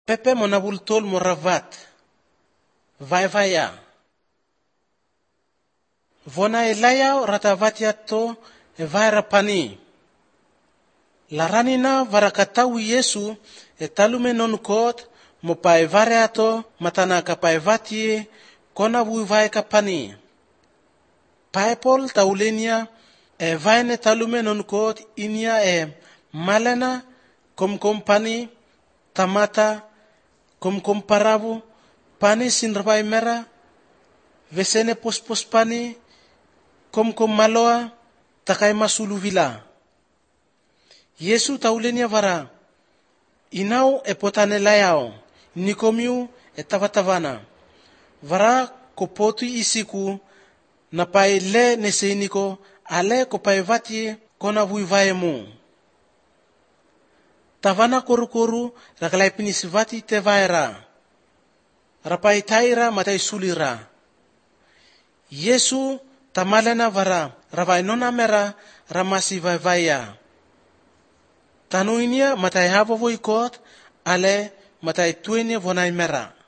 pepe monabultol moravat, vai-vaya. Vona elayao ratavatiato evaira pani. Laranina varakatawi Yesu etalume nonkot mo paevareato matana kapaevatie kona vuivai kapani. Paepol taulenia evaine talume nonkot inia malena komkompani tamata komkomparavu pani sinrapai mera vesene pospos pani komkom maloa takai masulu vila. Yesu taulenia vara inau epotane layao nikomiu etavatavana vara kopoti isiku napai le neseiniko ale kopaevati kona vuivaemu tavana koru rakalai pinisivati tevaira rapai taira matai sulira. Yesu tamalena vara ravai nona mera ramasi vaivaya tanuinia matai havo voikot ale matai tuenia vonai mera.